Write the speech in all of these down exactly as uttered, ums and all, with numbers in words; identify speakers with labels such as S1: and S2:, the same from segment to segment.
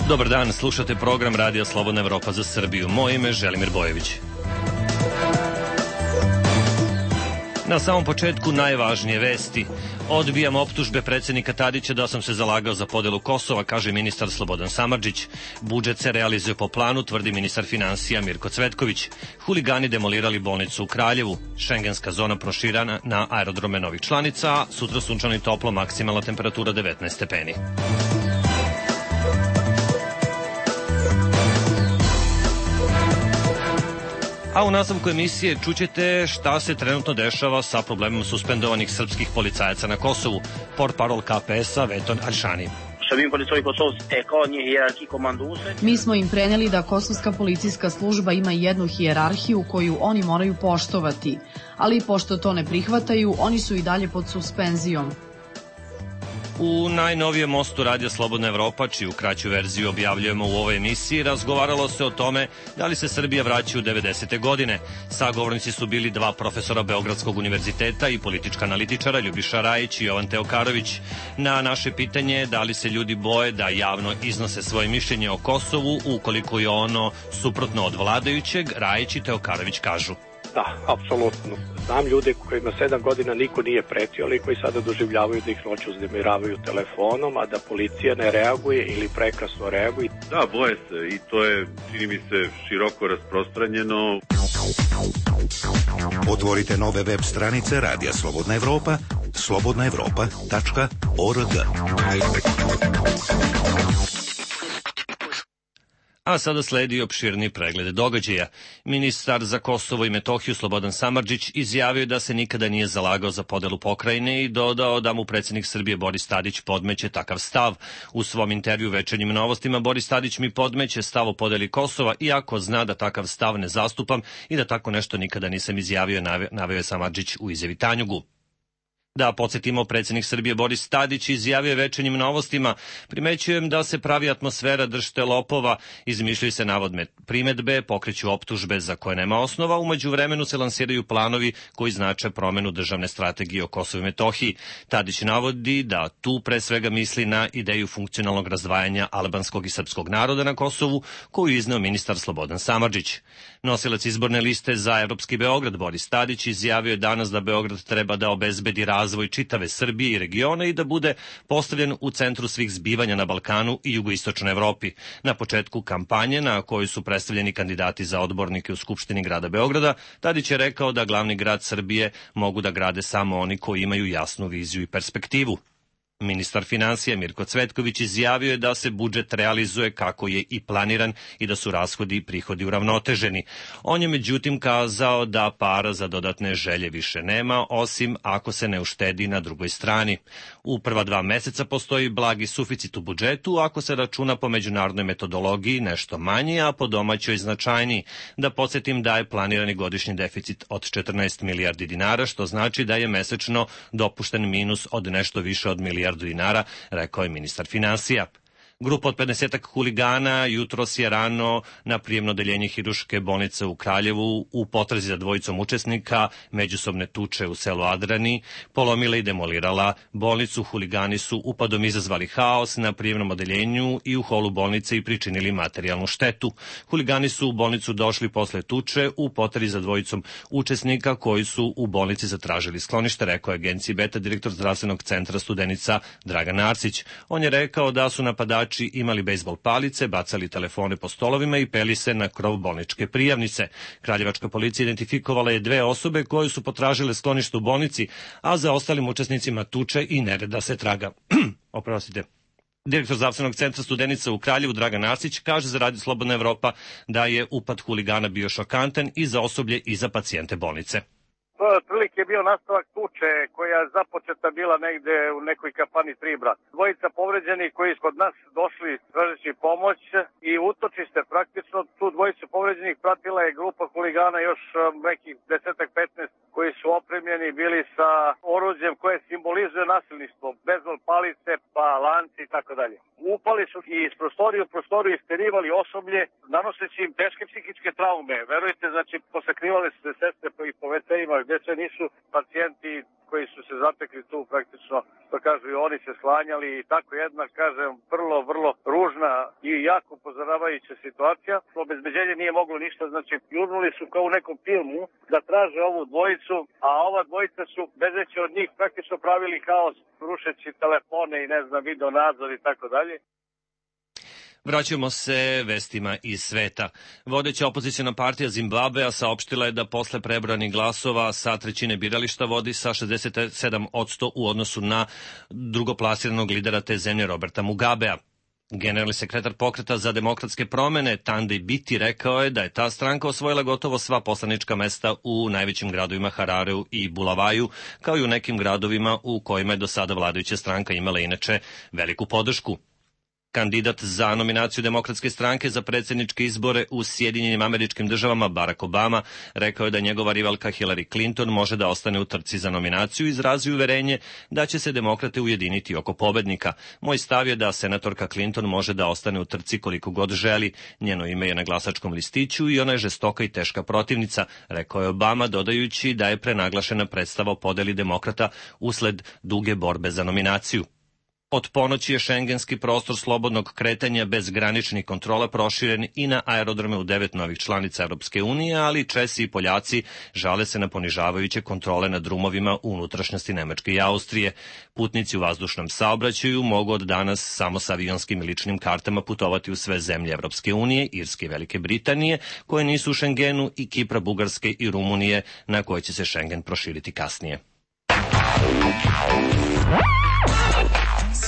S1: Dobar dan, slušate program Radija Slobodna Evropa za Srbiju. Moje ime je Želimir Bojević. Na samom početku najvažnije vesti. Odbijam optužbe predsjednika Tadića da sam se zalagao za podelu Kosova, kaže ministar Slobodan Samardžić. Budžet se realizuje po planu, tvrdi ministar finansija Mirko Cvetković. Huligani demolirali bolnicu u Kraljevu. Šengenska zona proširana na aerodrome novih članica, a sutra sunčano i toplo, maksimalna temperatura devetnaest stepeni. A u nastavku emisije čućete šta se trenutno dešava sa problemom suspendovanih srpskih policajaca na Kosovu. Portparol K P S-a Veton Alšani.
S2: Mi smo im preneli da kosovska policijska služba ima jednu hijerarhiju koju oni moraju poštovati, ali pošto to ne prihvataju, oni su i dalje pod suspenzijom.
S1: U najnovijem mostu Radija Slobodna Evropa, čiju kraću verziju objavljujemo u ovoj emisiji, razgovaralo se o tome da li se Srbija vraća u devedesete godine. Sagovornici su bili dva profesora Beogradskog univerziteta i politička analitičara Ljubiša Rajić i Jovan Teokanović. Na naše pitanje da li se ljudi boje da javno iznose svoje mišljenje o Kosovu ukoliko je ono suprotno od vladajućeg, Rajić i Teokanović kažu.
S3: Da, apsolutno. Znam ljude kojima sedam godina niko nije pretio, ali koji sada doživljavaju da ih noću uznemiravaju telefonom, a da policija ne reaguje ili prekasno reaguje.
S4: Da, boje se i to je, čini mi se, široko rasprostranjeno.
S5: Otvorite nove web stranice Radija Slobodna Evropa, slobodna evropa tačka org.
S1: A sada sledi opširni pregled događaja. Ministar za Kosovo i Metohiju Slobodan Samardžić izjavio da se nikada nije zalagao za podelu pokrajine i dodao da mu predsjednik Srbije Boris Tadić podmeće takav stav. U svom intervju Večernjim novostima Boris Tadić mi podmeće stav o podeli Kosova, iako zna da takav stav ne zastupam i da tako nešto nikada nisam izjavio, naveo je Samardžić u izjavi Tanjugu. Da podsjetimo, predsjednik Srbije Boris Tadić izjavio je Večernjim novostima: primećujem da se pravi atmosfera držte lopova, izmišljaju se navodne primedbe, pokreću optužbe za koje nema osnova, umeđu vremenu se lansiraju planovi koji znače promenu državne strategije o Kosovu i Metohiji. Tadić navodi da tu pre svega misli na ideju funkcionalnog razdvajanja albanskog i srpskog naroda na Kosovu, koju izneo ministar Slobodan Samardžić. Nosilac izborne liste za Evropski Beograd Boris Tadić izjavio je danas da Beograd treba da obezbedi razvoj čitave Srbije i regiona i da bude postavljen u centru svih zbivanja na Balkanu i jugoistočnoj Evropi. Na početku kampanje, na kojoj su predstavljeni kandidati za odbornike u Skupštini grada Beograda, Tadić je rekao da glavni grad Srbije mogu da grade samo oni koji imaju jasnu viziju i perspektivu. Ministar finansija Mirko Cvetković izjavio je da se budžet realizuje kako je i planiran i da su rashodi i prihodi uravnoteženi. On je međutim kazao da para za dodatne želje više nema, osim ako se ne uštedi na drugoj strani. U prva dva meseca postoji blagi suficit u budžetu, ako se računa po međunarodnoj metodologiji nešto manji, a po domaćoj značajniji. Da podsjetim da je planirani godišnji deficit od četrnaest milijardi dinara, što znači da je mesečno dopušten minus od nešto više od milijardu dinara, rekao je ministar finansija. Grupa od pedesetak huligana jutros je rano na prijemno odeljenje Hiruške bolnice u Kraljevu u potrazi za dvojicom učesnika međusobne tuče u selu Adrani polomila i demolirala bolnicu. Huligani su upadom izazvali haos na prijemnom odeljenju i u holu bolnice i pričinili materijalnu štetu. Huligani su u bolnicu došli posle tuče u potrazi za dvojicom učesnika koji su u bolnici zatražili sklonište, rekao je agenciji Beta direktor zdravstvenog centra Studenica Dragan Arsić. On je rekao da su napadači imali bejsbol palice, bacali telefone po stolovima i peli se na krov bolničke prijavnice. Kraljevačka policija identifikovala je dve osobe koje su potražile sklonište u bolnici, a za ostalim učesnicima tuče i nereda se traga. Oprostite. Direktor zdravstvenog centra Studenica u Kraljevu Dragan Arsić kaže za Radio Slobodna Evropa da je upad huligana bio šokantan i za osoblje i za pacijente bolnice.
S6: To je otprilike bio nastavak tuče koja je započeta bila negde u nekoj kafani Tribra. Dvojica povređenih koji su kod nas došli tražeći pomoć i utočište praktično. Tu dvojicu povređenih pratila je grupa huligana još nekih desetak petnaest koji su su opremljeni bili sa oruđem koje simbolizuje nasilništvo, bezbol palice, pa lanci i tako dalje. Upali su i iz prostorije u prostoriju isterivali osoblje, nanoseći im teške psihičke traume. Verujte, znači, posakrivali su se sestre i po ve ce-ima, gde sve nisu pacijenti koji su se zatekli tu praktično, što kažu i oni se sklanjali i tako jedna, kažem, vrlo, vrlo ružna i jako upozoravajuća situacija. Obezbeđenje nije moglo ništa, znači jurnuli su kao u nekom filmu da traže ovu dvojicu, a ova dvojica su, bezeći od njih, praktično pravili haos, rušeći telefone i ne znam, video nadzor i tako dalje.
S1: Vraćamo se vestima iz sveta. Vodeća opozicijna partija Zimbabvea saopštila je da posle prebranih glasova sa trećine birališta vodi sa šezdeset sedam posto u odnosu na drugoplasiranog lidera te zemlje Roberta Mugabea. Generalni sekretar pokreta za demokratske promene Tandej Biti rekao je da je ta stranka osvojila gotovo sva poslanička mesta u najvećim gradovima Harareu i Bulavaju, kao i u nekim gradovima u kojima je do sada vladajuća stranka imala inače veliku podršku. Kandidat za nominaciju Demokratske stranke za predsjedničke izbore u Sjedinjenim Američkim Državama Barack Obama rekao je da njegova rivalka Hillary Clinton može da ostane u trci za nominaciju i izrazi uverenje da će se demokrate ujediniti oko pobednika. Moj stav je da senatorka Clinton može da ostane u trci koliko god želi. Njeno ime je na glasačkom listiću i ona je žestoka i teška protivnica, rekao je Obama, dodajući da je prenaglašena predstava o podeli demokrata usled duge borbe za nominaciju. Od ponoći je šengenski prostor slobodnog kretanja bez graničnih kontrola proširen i na aerodrome u devet novih članica Europske unije, ali Česi i Poljaci žale se na ponižavajuće kontrole na drumovima u unutrašnjosti Nemačke i Austrije. Putnici u vazdušnom saobraćaju mogu od danas samo sa avionskim i ličnim kartama putovati u sve zemlje Europske unije, Irske i Velike Britanije, koje nisu u Šengenu, i Kipra, Bugarske i Rumunije, na koje će se Šengen proširiti kasnije.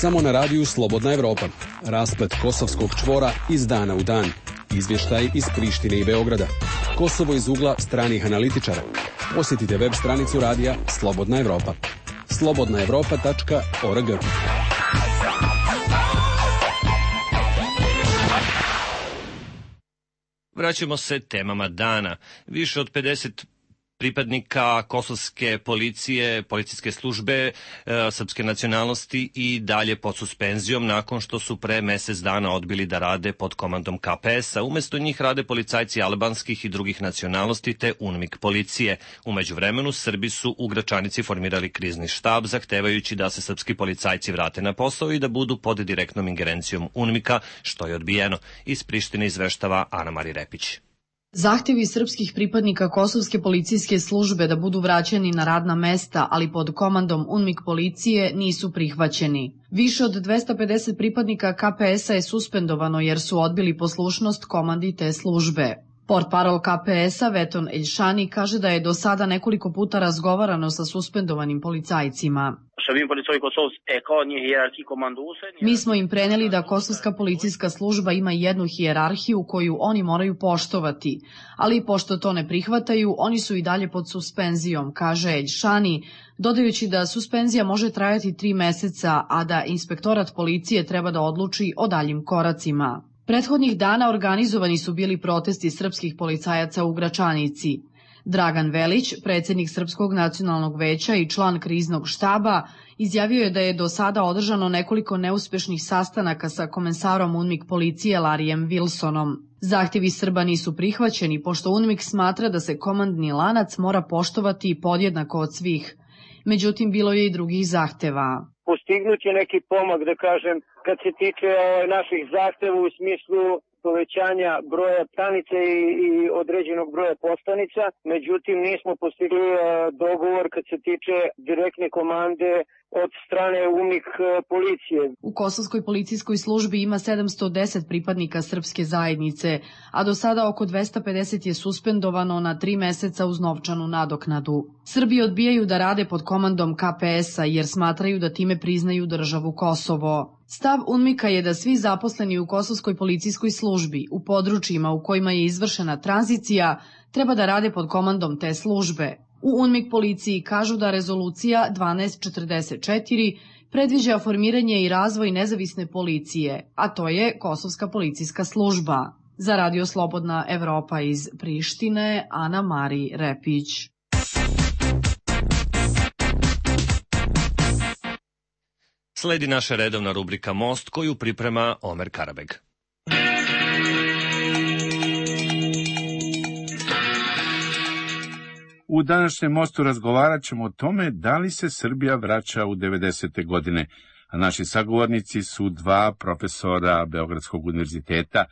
S7: Samo na radiju Slobodna Evropa. Rasplet kosovskog čvora iz dana u dan. Izvještaj iz Prištine i Beograda. Kosovo iz ugla stranih analitičara. Posjetite web stranicu radija Slobodna Evropa. slobodna evropa tačka org.
S1: Vraćamo se temama dana. Više od pedeset pripadnika kosovske policije, policijske službe e, srpske nacionalnosti i dalje pod suspenzijom nakon što su pre mesec dana odbili da rade pod komandom ka pe es-a. Umesto njih rade policajci albanskih i drugih nacionalnosti te UNMIK policije. U međuvremenu Srbi su u Gračanici formirali krizni štab zahtevajući da se srpski policajci vrate na posao i da budu pod direktnom ingerencijom UNMIK-a, što je odbijeno. Iz Prištine izveštava Ana Mari Repić.
S2: Zahtjevi srpskih pripadnika kosovske policijske službe da budu vraćeni na radna mesta, ali pod komandom UNMIK policije, nisu prihvaćeni. Više od dvesta pedeset pripadnika ka pe es-a je suspendovano jer su odbili poslušnost komandi te službe. Portparol ka pe es-a Veton Eljšani kaže da je do sada nekoliko puta razgovarano sa suspendovanim policajcima. Mi smo im preneli da kosovska policijska služba ima jednu hijerarhiju koju oni moraju poštovati, ali pošto to ne prihvataju, oni su i dalje pod suspenzijom, kaže Eljšani, dodajući da suspenzija može trajati tri meseca, a da inspektorat policije treba da odluči o daljim koracima. Prethodnih dana organizovani su bili protesti srpskih policajaca u Gračanici. Dragan Velić, predsjednik Srpskog nacionalnog veća i član kriznog štaba, izjavio je da je do sada održano nekoliko neuspešnih sastanaka sa komensarom UNMIK policije Larijem Wilsonom. Zahtjevi Srba nisu prihvaćeni, pošto UNMIK smatra da se komandni lanac mora poštovati podjednako od svih. Međutim, bilo je i drugih zahteva.
S8: Postignut je neki pomak, da kažem, kad se tiče naših zahteva u smislu povećanja broja stanica i, i određenog broja postanica, međutim nismo postigli dogovor kad se tiče direktne komande od strane UNMIK policije.
S2: U kosovskoj policijskoj službi ima sedamsto deset pripadnika srpske zajednice, a do sada oko dvesta pedeset je suspendovano na tri meseca uz novčanu nadoknadu. Srbi odbijaju da rade pod komandom ka pe es-a jer smatraju da time priznaju državu Kosovo. Stav UNMIK-a je da svi zaposleni u kosovskoj policijskoj službi u područjima u kojima je izvršena tranzicija treba da rade pod komandom te službe. U UNMIK policiji kažu da rezolucija dvanaest četrdeset četiri predviđa formiranje i razvoj nezavisne policije, a to je Kosovska policijska služba. Za Radio Slobodna Evropa iz Prištine, Ana Mari Repić.
S1: Sledi naša redovna rubrika Most, koju priprema Omer Karabeg.
S9: U današnjem Mostu razgovarat ćemo o tome da li se Srbija vraća u devedesete godine, a naši sagovornici su dva profesora Beogradskog univerziteta,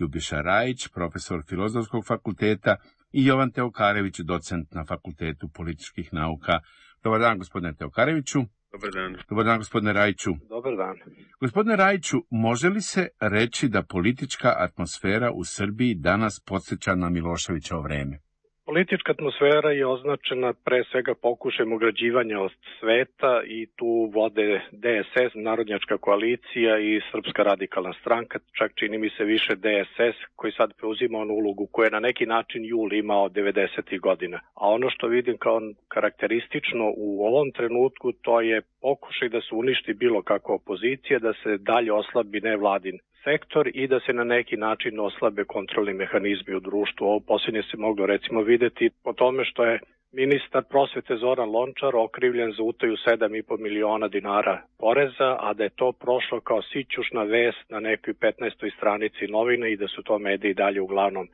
S9: Ljubiša Rajić, profesor Filozofskog fakulteta, i Jovan Teokarević, docent na Fakultetu političkih nauka. Dobar dan, gospodine Teokareviću.
S4: Dobar dan.
S9: Dobar dan, gospodine Rajiću.
S3: Dobar dan.
S9: Gospodine Rajiću, može li se reći da politička atmosfera u Srbiji danas podsjeća na Miloševićevo vreme?
S3: Politička atmosfera je označena pre svega pokušajem ugrađivanja od sveta i tu vode D S S, Narodnjačka koalicija i Srpska radikalna stranka, čak čini mi se više D S S koji sad preuzima onu ulogu koju je na neki način jul imao devedesetih godina. A ono što vidim kao karakteristično u ovom trenutku to je pokušaj da se uništi bilo kakva opozicija, da se dalje oslabi nevladin sektor i da se na neki način oslabe kontrolni mehanizmi u društvu. Ovo posljednje se moglo recimo videti po tome što je ministar prosvete Zoran Lončar okrivljen za utaju sedam i po miliona dinara poreza, a da je to prošlo kao sićušna vest na nekoj petnaestoj stranici novine i da su to mediji dalje uglavnom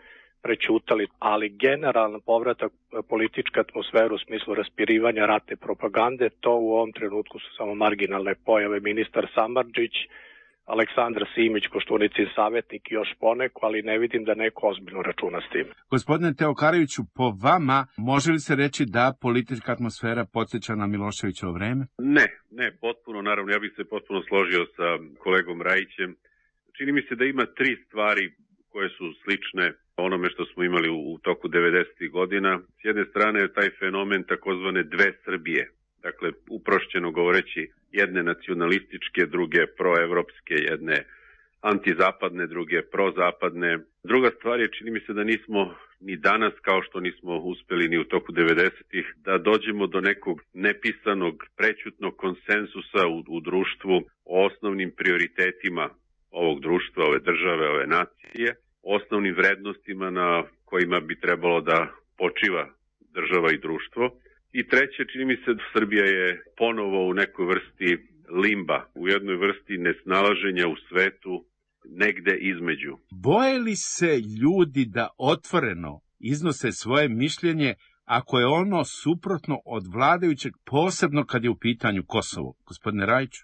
S3: prećutali, ali generalno povratak političke atmosfere u smislu raspirivanja ratne propagande, to u ovom trenutku su samo marginalne pojave. Ministar Samardžić, Aleksandar Simić, Koštunicin savjetnik i još poneko, ali ne vidim da neko ozbiljno računa s tim.
S9: Gospodine Teokareviću, po vama može li se reći da politička atmosfera podsjeća na Miloševićevo vreme?
S4: Ne, ne, potpuno, naravno, ja bih se potpuno složio sa kolegom Rajićem. Čini mi se da ima tri stvari koje su slične onome što smo imali u, u toku devedesetih godina. S jedne strane je taj fenomen takozvane dve Srbije. Dakle, uprošćeno govoreći, jedne nacionalističke, druge proevropske, jedne antizapadne, druge prozapadne. Druga stvar je, čini mi se da nismo ni danas, kao što nismo uspeli ni u toku devedesetih, da dođemo do nekog nepisanog, prećutnog konsensusa u, u društvu o osnovnim prioritetima ovog društva, ove države, ove nacije, osnovnim vrednostima na kojima bi trebalo da počiva država i društvo. I treće, čini mi se da Srbija je ponovo u nekoj vrsti limba, u jednoj vrsti nesnalaženja u svetu, negde između.
S9: Boje li se ljudi da otvoreno iznose svoje mišljenje ako je ono suprotno od vladajućeg, posebno kad je u pitanju Kosovo? Gospodine Rajiću?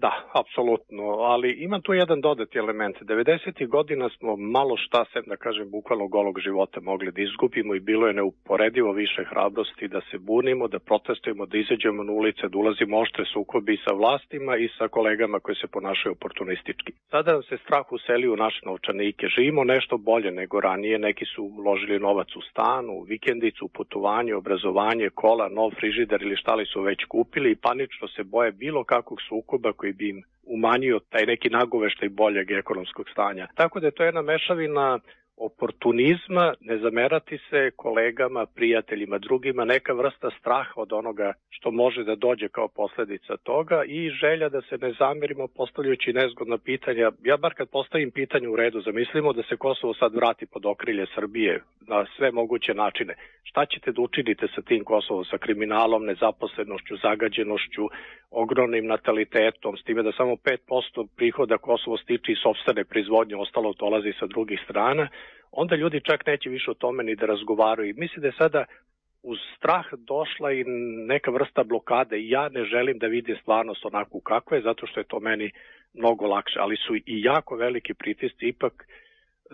S3: Da, apsolutno, ali ima tu jedan dodati element. devedesetih godina smo malo šta, sem da kažem bukvalno golog života, mogli da izgubimo i bilo je neuporedivo više hrabrosti da se bunimo, da protestujemo, da izađemo na ulice, da ulazimo oštre sukobi sa vlastima i sa kolegama koji se ponašaju oportunistički. Sada nam se strah useli u naše novčanike. Živimo nešto bolje nego ranije, neki su uložili novac u stanu, u vikendicu, putovanje, obrazovanje, kola, nov frižider ili šta li su već kupili i panično se boje bilo kakvog sukoba koji bi im umanjio taj neki nagoveštaj boljeg ekonomskog stanja. Tako da je to jedna mešavina oportunizma, ne zamerati se kolegama, prijateljima, drugima, neka vrsta straha od onoga što može da dođe kao posledica toga i želja da se ne zamerimo postavljajući nezgodna pitanja. Ja bar kad postavim pitanje u redu, zamislimo da se Kosovo sad vrati pod okrilje Srbije na sve moguće načine. Šta ćete da učinite sa tim Kosovom, sa kriminalom, nezaposlenošću, zagađenošću, ogromnim natalitetom, s time da samo pet posto prihoda Kosovo stiče iz sopstvene proizvodnje, ostalo dolazi sa drugih strana, onda ljudi čak neće više o tome ni da razgovaraju. Mislim da je sada uz strah došla i neka vrsta blokade i ja ne želim da vidim stvarnost onako kakva je, zato što je to meni mnogo lakše, ali su i jako veliki pritisci. Ipak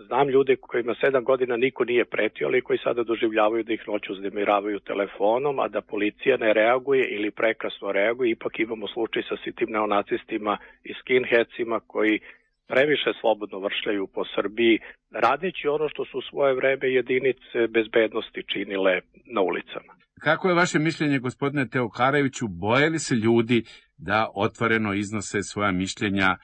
S3: znam ljude kojima sedam godina niko nije pretio, ali koji sada doživljavaju da ih noću uznemiravaju telefonom, a da policija ne reaguje ili prekasno reaguje. Ipak imamo slučaj sa sitim neonacistima i skinheadsima koji previše slobodno vršljaju po Srbiji, radeći ono što su u svoje vreme jedinice bezbednosti činile na ulicama.
S9: Kako je vaše mišljenje, gospodine Teokareviću, boje li se ljudi da otvoreno iznose svoja mišljenja,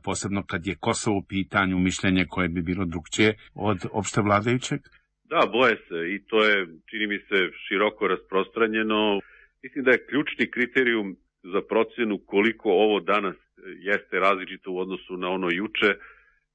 S9: posebno kad je Kosovo u pitanju, mišljenje koje bi bilo drugčije od opšte vladajućeg?
S4: Da, boje se i to je, čini mi se, široko rasprostranjeno. Mislim da je ključni kriterijum za procjenu koliko ovo danas jeste različito u odnosu na ono juče,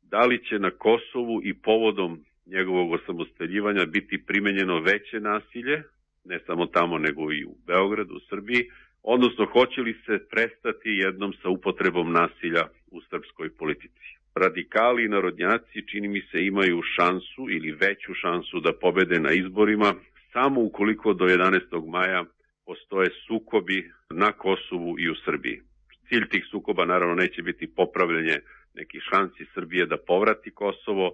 S4: da li će na Kosovu i povodom njegovog osamostaljivanja biti primenjeno veće nasilje, ne samo tamo nego i u Beogradu, u Srbiji, odnosno hoće li se prestati jednom sa upotrebom nasilja u srpskoj politici. Radikali i narodnjaci, čini mi se, imaju šansu ili veću šansu da pobede na izborima samo ukoliko do jedanaestog maja postoje sukobi na Kosovu i u Srbiji. Cilj tih sukoba naravno neće biti popravljanje nekih šansi Srbije da povrati Kosovo,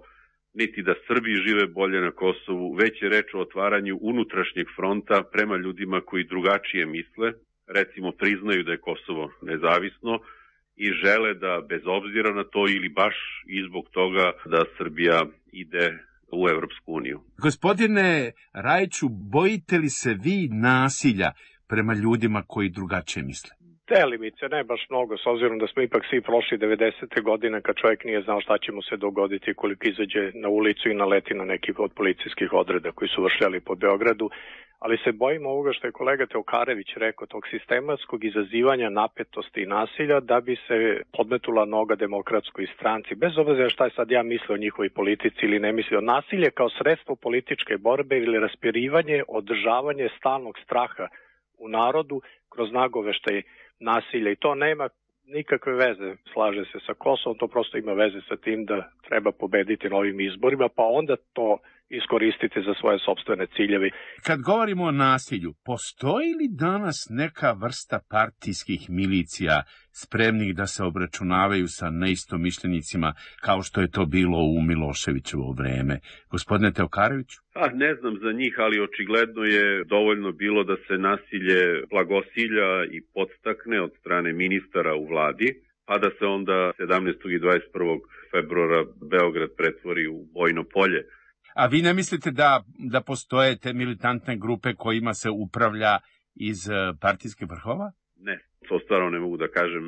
S4: niti da Srbi žive bolje na Kosovu, već je reč o otvaranju unutrašnjeg fronta prema ljudima koji drugačije misle, recimo priznaju da je Kosovo nezavisno i žele da bez obzira na to ili baš i zbog toga da Srbija ide u Evropsku uniju.
S9: Gospodine Rajiću, bojite li se vi nasilja prema ljudima koji drugačije misle?
S3: Delimice, ne baš mnogo, s obzirom da smo ipak svi prošli devedesete godine kad čovjek nije znao šta će mu se dogoditi koliko izađe na ulicu i naleti na neki od policijskih odreda koji su vršljali po Beogradu, ali se bojimo ovoga što je kolega Teokarević rekao, tog sistematskog izazivanja napetosti i nasilja da bi se podmetula noga demokratskoj stranci, bez obzira šta je sad ja mislio o njihovoj politici ili ne mislio. Nasilje kao sredstvo političke borbe ili raspirivanje, održavanje stalnog straha u narodu kroz nagoveštaj nasilja i to nema nikakve veze, slaže se sa Kosovom, to prosto ima veze sa tim da treba pobediti na ovim izborima, pa onda to iskoristiti za svoje sopstvene ciljeve.
S9: Kad govorimo o nasilju, postoji li danas neka vrsta partijskih milicija spremnih da se obračunavaju sa neistomišljenicima kao što je to bilo u Miloševićevo vreme? Gospodine Teokareviću?
S4: Pa, ne znam za njih, ali očigledno je dovoljno bilo da se nasilje blagosilja i podstakne od strane ministara u vladi, pa da se onda sedamnaestog i dvadeset prvog februara Beograd pretvori u bojno polje.
S9: A vi ne mislite da, da postoje te militantne grupe kojima se upravlja iz partijskih vrhova?
S4: Ne, to stvarno ne mogu da kažem.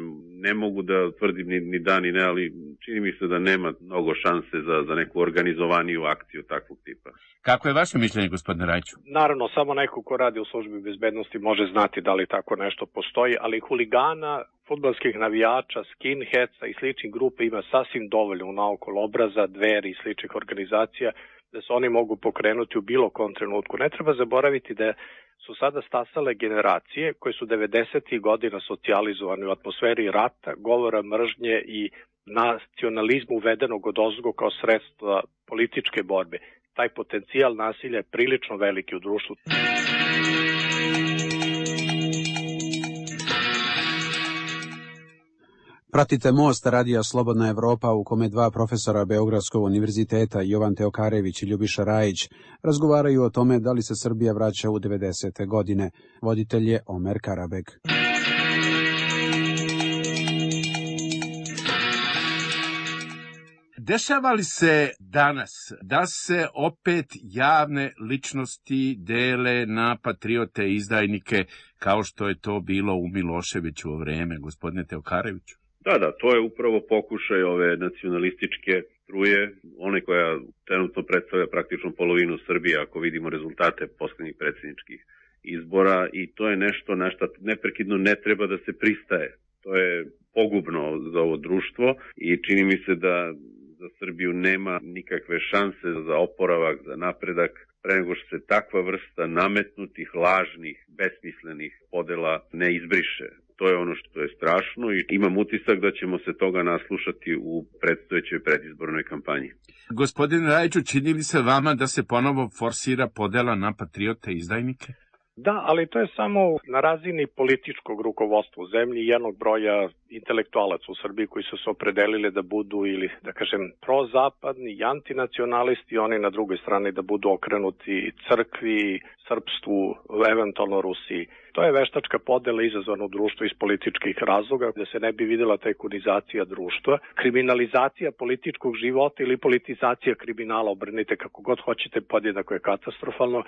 S4: Ne mogu da tvrdim ni, ni da ni ne, ali čini mi se da nema mnogo šanse za, za neku organizovaniju akciju takvog tipa.
S9: Kako je vaše mišljenje, gospodine Rajiću?
S3: Naravno, samo neko ko radi u službi bezbednosti može znati da li tako nešto postoji, ali huligana, fudbalskih navijača, skinheadsa i sličnih grupa ima sasvim dovoljno naokolo obraza, Dveri i sličnih organizacija da se oni mogu pokrenuti u bilo kom trenutku. Ne treba zaboraviti da su sada stasale generacije koje su devedesetih godina socijalizovane u atmosferi rata, govora mržnje i nacionalizmu uvedenog odozgo kao sredstva političke borbe. Taj potencijal nasilja je prilično veliki u društvu.
S10: Pratite Most Radija Slobodna Evropa u kome dva profesora Beogradskog univerziteta, Jovan Teokarević i Ljubiša Rajić, razgovaraju o tome da li se Srbija vraća u devedesete godine. Voditelj je Omer Karabek.
S9: Dešava li se danas da se opet javne ličnosti dele na patriote i izdajnike kao što je to bilo u Miloševićevo vreme, gospodine Teokareviću?
S4: Da, da, to je upravo pokušaj ove nacionalističke struje, one koja trenutno predstavlja praktično polovinu Srbije, ako vidimo rezultate poslednjih predsjedničkih izbora, i to je nešto na što neprekidno ne treba da se pristaje. To je pogubno za ovo društvo i čini mi se da za Srbiju nema nikakve šanse za oporavak, za napredak, pre nego što se takva vrsta nametnutih, lažnih, besmislenih podela ne izbriše. To je ono što je strašno i imam utisak da ćemo se toga naslušati u predstojećoj predizbornoj kampanji.
S9: Gospodine Rajiću, čini li se vama da se ponovo forsira podela na patriote i izdajnike?
S3: Da, ali to je samo na razini političkog rukovodstva u zemlji i jednog broja intelektualaca u Srbiji koji su se opredelili da budu ili, da kažem, prozapadni i antinacionalisti, oni na drugoj strani da budu okrenuti crkvi, srpstvu, eventualno Rusiji. To je veštačka podela izazvana u društvu iz političkih razloga, da se ne bi videla tajkunizacija društva, kriminalizacija političkog života ili politizacija kriminala, obrnite kako god hoćete, podjednako je katastrofalno.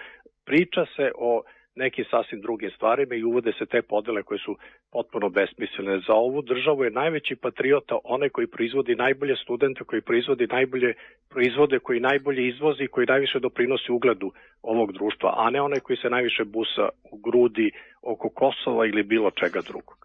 S3: Priča se o nekim sasvim drugim stvarima i uvode se te podele koje su potpuno besmislene. Za ovu državu je najveći patriota onaj koji proizvodi najbolje studente, koji proizvodi najbolje proizvode, koji najbolje izvozi, koji najviše doprinosi ugledu ovog društva, a ne onaj koji se najviše busa u grudi oko Kosova ili bilo čega drugog.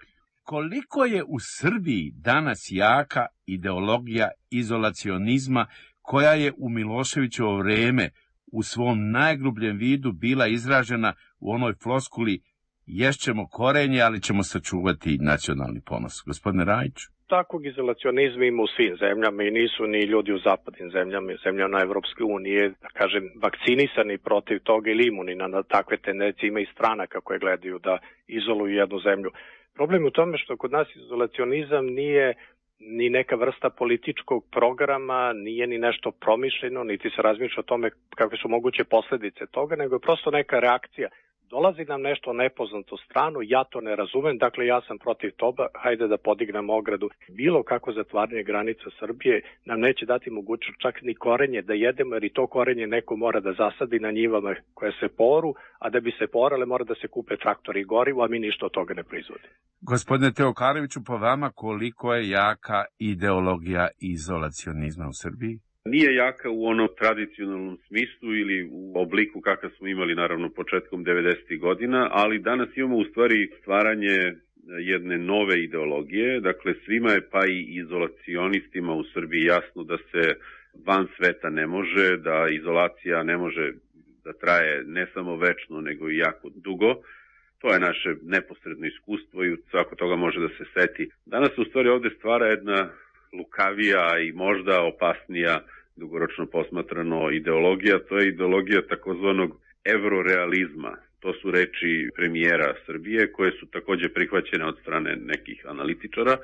S9: Koliko je u Srbiji danas jaka ideologija izolacionizma koja je u Miloševićevo vreme u svom najgrubljem vidu bila izražena u onoj floskuli ješćemo korenje, ali ćemo sačuvati nacionalni ponos. Gospodine Rajić?
S3: Takvog izolacionizma ima u svim zemljama i nisu ni ljudi u zapadnim zemljama, zemljama Evropske unije, da kažem, vakcinisani protiv toga ili imuni na takve tendencije. Ima i stranaka koje gledaju da izoluju jednu zemlju. Problem je u tome što kod nas izolacionizam nije ni neka vrsta političkog programa, nije ni nešto promišljeno, niti se razmišlja o tome kakve su moguće posledice toga, nego je prosto neka reakcija. Dolazi nam nešto nepoznato stranu, ja to ne razumem, dakle ja sam protiv toga, hajde da podignemo ogradu. Bilo kako zatvaranje granica Srbije nam neće dati mogućnost čak ni korenje da jedemo, jer i to korenje neko mora da zasadi na njivama koje se poru, a da bi se porale mora da se kupe traktori i gorivo, a mi ništa od toga ne proizvodi.
S9: Gospodine Teokareviću, po vama koliko je jaka ideologija izolacionizma u Srbiji?
S4: Nije jaka u onom tradicionalnom smislu ili u obliku kakav smo imali naravno početkom devedesetih godina, ali danas imamo u stvari stvaranje jedne nove ideologije. Dakle, svima je pa i izolacionistima u Srbiji jasno da se van sveta ne može, da izolacija ne može da traje ne samo večno, nego i jako dugo. To je naše neposredno iskustvo i svako toga može da se seti. Danas se u stvari ovde stvara jedna lukavija i možda opasnija dugoročno posmatrano ideologija, to je ideologija takozvanog evrorealizma. To su reči premijera Srbije koje su takođe prihvaćene od strane nekih analitičara.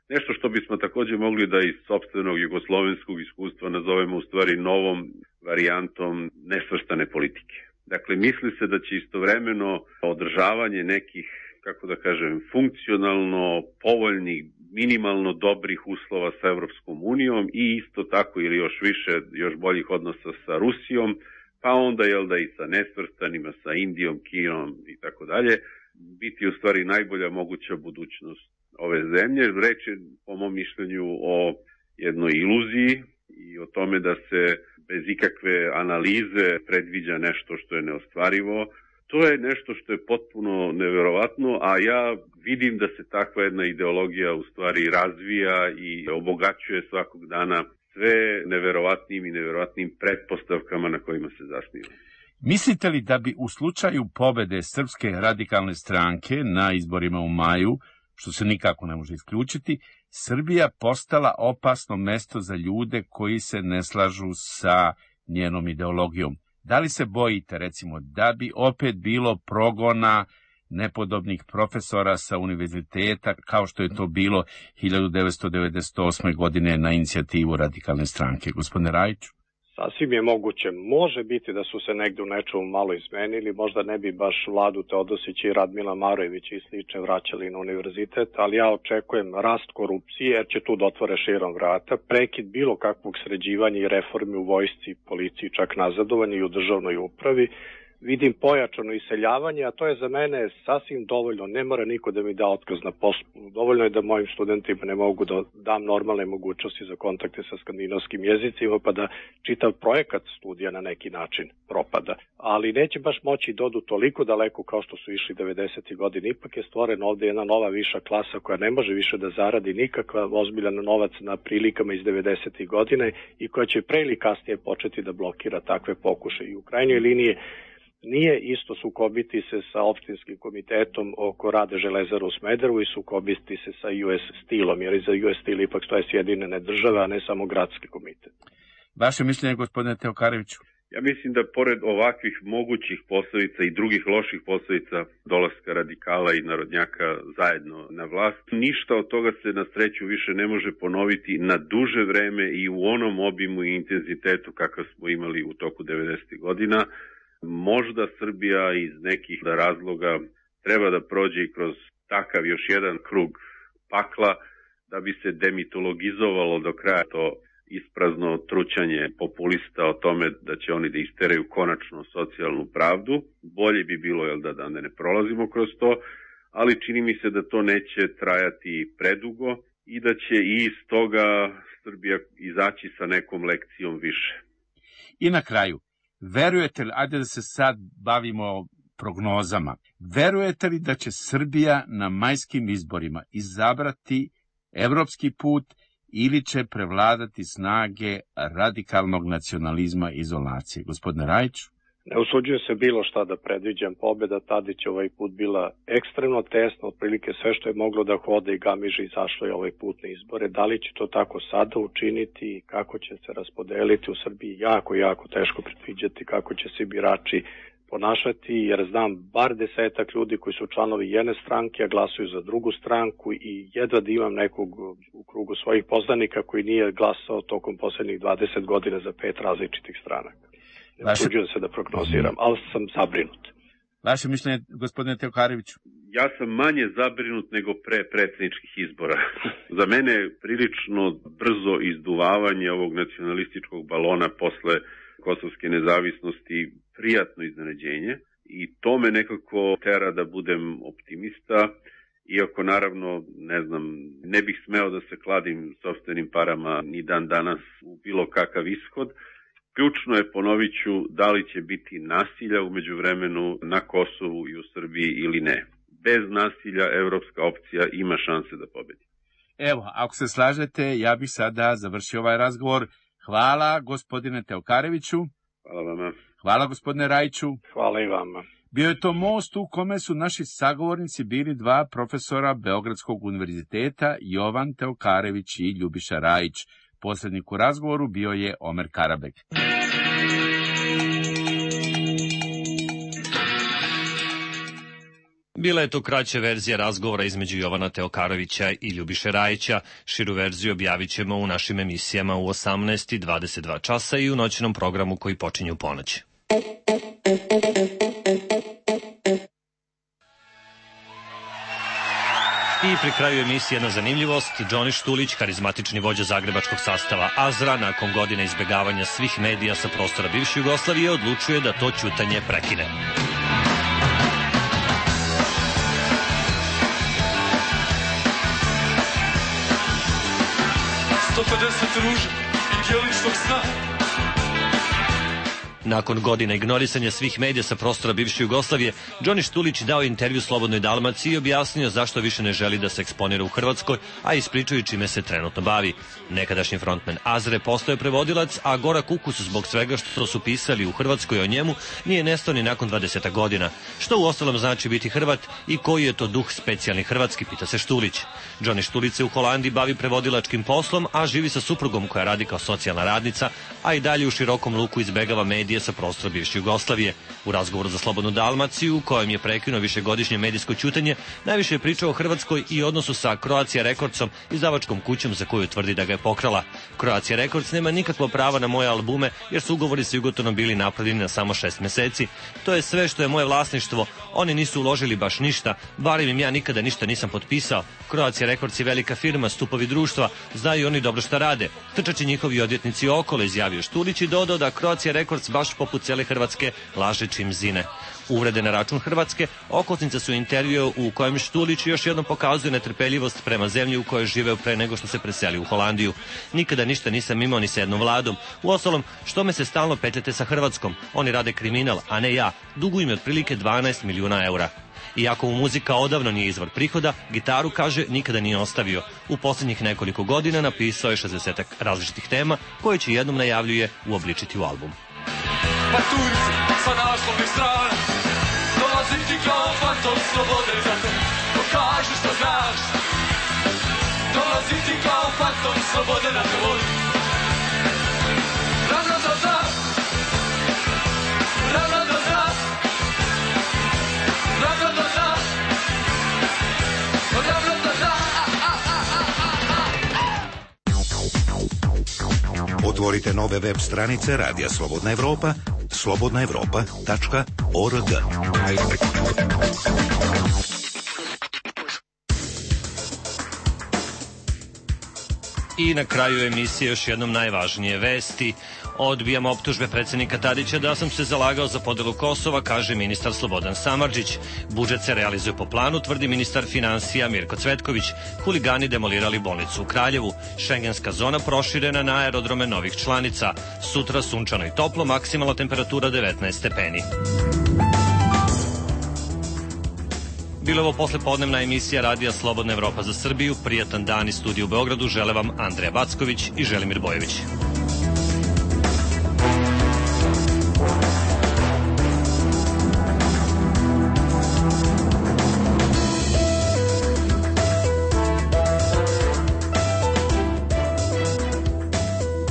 S4: Nešto što bismo takođe mogli da iz sopstvenog jugoslovenskog iskustva nazovemo u stvari novom varijantom nesvrstane politike. Dakle, misli se da će istovremeno održavanje nekih, kako da kažem, funkcionalno povoljnih, minimalno dobrih uslova sa Evropskom unijom i isto tako ili još više, još boljih odnosa sa Rusijom, pa onda jel da i sa nesvrstanima, sa Indijom, Kinom i tako dalje, biti u stvari najbolja moguća budućnost ove zemlje. Reč je, po mom mišljenju, o jednoj iluziji i o tome da se bez ikakve analize predviđa nešto što je neostvarivo. To je nešto što je potpuno neverovatno, a ja vidim da se takva jedna ideologija u stvari razvija i obogaćuje svakog dana sve neverovatnim i neverovatnim pretpostavkama na kojima se zasniva.
S9: Mislite li da bi u slučaju pobede Srpske radikalne stranke na izborima u maju, što se nikako ne može isključiti, Srbija postala opasno mesto za ljude koji se ne slažu sa njenom ideologijom? Da li se bojite, recimo, da bi opet bilo progona nepodobnih profesora sa univerziteta, kao što je to bilo hiljadu devetsto devedeset osme. godine na inicijativu radikalne stranke? Gospodine Rajiću?
S3: Sasvim je moguće. Može biti da su se negde u nečemu malo izmenili, možda ne bi baš Vladu Teodosić i Radmila Marojević i slične vraćali na univerzitet, ali ja očekujem rast korupcije jer će tu da otvore širom vrata, prekid bilo kakvog sređivanja i reformi u vojsci, policiji, čak nazadovanje i u državnoj upravi. Vidim pojačano iseljavanje, a to je za mene sasvim dovoljno. Ne mora niko da mi da otkaz na poslu. Dovoljno je da mojim studentima ne mogu da dam normalne mogućnosti za kontakte sa skandinavskim jezicima, pa da čitav projekat studija na neki način propada. Ali neće baš moći da odu toliko daleko kao što su išli devedesetih godina. Ipak je stvorena ovde jedna nova viša klasa koja ne može više da zaradi nikakva ozbiljan novac na prilikama iz devedesetih godine i koja će pre ili kasnije početi da blokira takve pokušaje. I u krajnjoj liniji nije isto sukobiti se sa opštinskim komitetom oko rade Železara u Smederevu i sukobiti se sa U S Steel-om, jer iza U S Steel ipak stoje Sjedinjene države, a ne samo gradski komitet.
S9: Vaše mišljenje, gospodine Teokareviću?
S4: Ja mislim da pored ovakvih mogućih posledica i drugih loših posledica dolaska radikala i narodnjaka zajedno na vlast, ništa od toga se na sreću više ne može ponoviti na duže vreme i u onom obimu i intenzitetu kakav smo imali u toku devedesetih godina. Možda Srbija iz nekih razloga treba da prođe i kroz takav još jedan krug pakla da bi se demitologizovalo do kraja to isprazno trućanje populista o tome da će oni da isteraju konačno socijalnu pravdu. Bolje bi bilo jel, da, da ne prolazimo kroz to, ali čini mi se da to neće trajati predugo i da će i iz toga Srbija izaći sa nekom lekcijom više.
S9: I na kraju, verujete li, ajde da se sad bavimo prognozama, verujete li da će Srbija na majskim izborima izabrati evropski put ili će prevladati snage radikalnog nacionalizma i izolacije? Gospodine Rajiću?
S3: Ne usuđujem se bilo šta da predviđam. Pobjeda Tadić ovaj put bila ekstremno tesna, otprilike sve što je moglo da hode i gamiže izašlo je ovaj put na izbore. Da li će to tako sada učiniti i kako će se raspodeliti u Srbiji, jako, jako teško predviđati kako će se birači ponašati, jer znam bar desetak ljudi koji su članovi jedne stranke, a glasuju za drugu stranku i jedva da imam nekog u krugu svojih poznanika koji nije glasao tokom poslednjih dvadeset godina za pet različitih stranaka. Ne usuđujem se da prognoziram, ali sam zabrinut.
S9: Vaše mišljenje, gospodine Teokareviću?
S4: Ja sam manje zabrinut nego pre predsjedničkih izbora. Za mene je prilično brzo izduvavanje ovog nacionalističkog balona posle kosovske nezavisnosti prijatno iznenađenje i to me nekako tera da budem optimista, iako naravno, ne znam, ne bih smeo da se kladim sopstvenim parama ni dan danas u bilo kakav ishod. Ključno je, ponovit ću, da li će biti nasilja umeđu vremenu na Kosovu i u Srbiji ili ne. Bez nasilja evropska opcija ima šanse da pobedi.
S9: Evo, ako se slažete, ja bih sada završio ovaj razgovor. Hvala gospodine Teokareviću.
S4: Hvala vama.
S9: Hvala gospodine Rajiću.
S3: Hvala i vama.
S9: Bio je to most u kome su naši sagovornici bili dva profesora Beogradskog univerziteta, Jovan Teokarević i Ljubiša Rajić. Posrednik u razgovoru bio je Omer Karabek.
S1: Bila je to kraća verzija razgovora između Jovana Teokarevića i Ljubiše Rajića. Širu verziju objavit ćemo u našim emisijama u osamnaest i dvadeset dva časa i u noćnom programu koji počinje u ponoć. I pri kraju emisije jedna zanimljivost. Džoni Štulić, karizmatični vođa zagrebačkog sastava Azra, nakon godine izbegavanja svih medija sa prostora bivše Jugoslavije, odlučuje da to ćutanje prekine.
S11: sto pedeset ruža i djeličnog sna.
S1: Nakon godina ignorisanja svih medija sa prostora bivše Jugoslavije, Džoni Štulić dao intervju Slobodnoj Dalmaciji i objasnio zašto više ne želi da se eksponira u Hrvatskoj, a ispričaju čime se trenutno bavi. Nekadašnji frontmen Azre postao je prevodilac, a gorak ukus zbog svega što su pisali u Hrvatskoj o njemu nije nestao ni nakon dvadeset godina. Što uostalom znači biti Hrvat i koji je to duh specijalni hrvatski, pita se Štulić. Džoni Štulić se u Holandiji bavi prevodilačkim poslom, a živi sa suprugom koja radi kao socijalna radnica, a i dalje u širokom luku izbegava medije sa prostora bivše Jugoslavije. U razgovoru za Slobodnu Dalmaciju, u kojem je prekinuo višegodišnje medijsko ćutanje, najviše je pričao o Hrvatskoj i odnosu sa Croatia Recordsom, izdavačkom kućom za koju tvrdi da ga je pokrala. Croatia Records nema nikakvo prava na moje albume, jer su ugovori sa Jugotonom bili napravljeni na samo šest meseci. To je sve što je moje vlasništvo. Oni nisu uložili baš ništa, barem im ja nikada ništa nisam potpisao. Croatia Records je velika firma, stupovi društva, znaju oni dobro šta rade. Trčači njihovi odvjetnici okolo, izjavio Štulić i dodao da Croatia Records baš poput cijele Hrvatske laže čim zine. Uvrede na račun Hrvatske okosnica su intervju u kojem Štulić još jednom pokazuje netrpeljivost prema zemlji u kojoj živeo pre nego što se preselio u Holandiju. Nikada ništa nisam imao ni sa jednom vladom. Uostalom, što me se stalno petljate sa Hrvatskom? Oni rade kriminal, a ne ja. Duguju mi otprilike dvanaest milijuna eura. Iako mu muzika odavno nije izvor prihoda, gitaru, kaže, nikada nije ostavio. U posljednjih nekoliko godina napisao je šezdeset različitih tema koje će jednom, najavljuje, uobličiti u album.
S11: Paturci sa naslovnih strana, dolazim ti kao fantom slobode, zato pokaži što znaš. Dolazim ti kao fantom slobode na tvoj. Ravno do zna, ravno do zna, ravno do zna, ravno do zna.
S5: Otvorite nove web stranice Radija Slobodna Evropa, slobodna evropa tačka org.
S1: I na kraju emisije još jednom najvažnije vesti. Odbijam optužbe predsjednika Tadića da sam se zalagao za podelu Kosova, kaže ministar Slobodan Samardžić. Budžet se realizuje po planu, tvrdi ministar finansija Mirko Cvetković. Huligani demolirali bolnicu u Kraljevu. Šengenska zona proširena na aerodrome novih članica. Sutra sunčano i toplo, maksimalna temperatura devetnaest stepeni. Bilo ovo poslepodnevna emisija Radija Slobodna Evropa za Srbiju. Prijatan dan iz studija u Beogradu žele vam Andreja Backović i Želimir Bojević.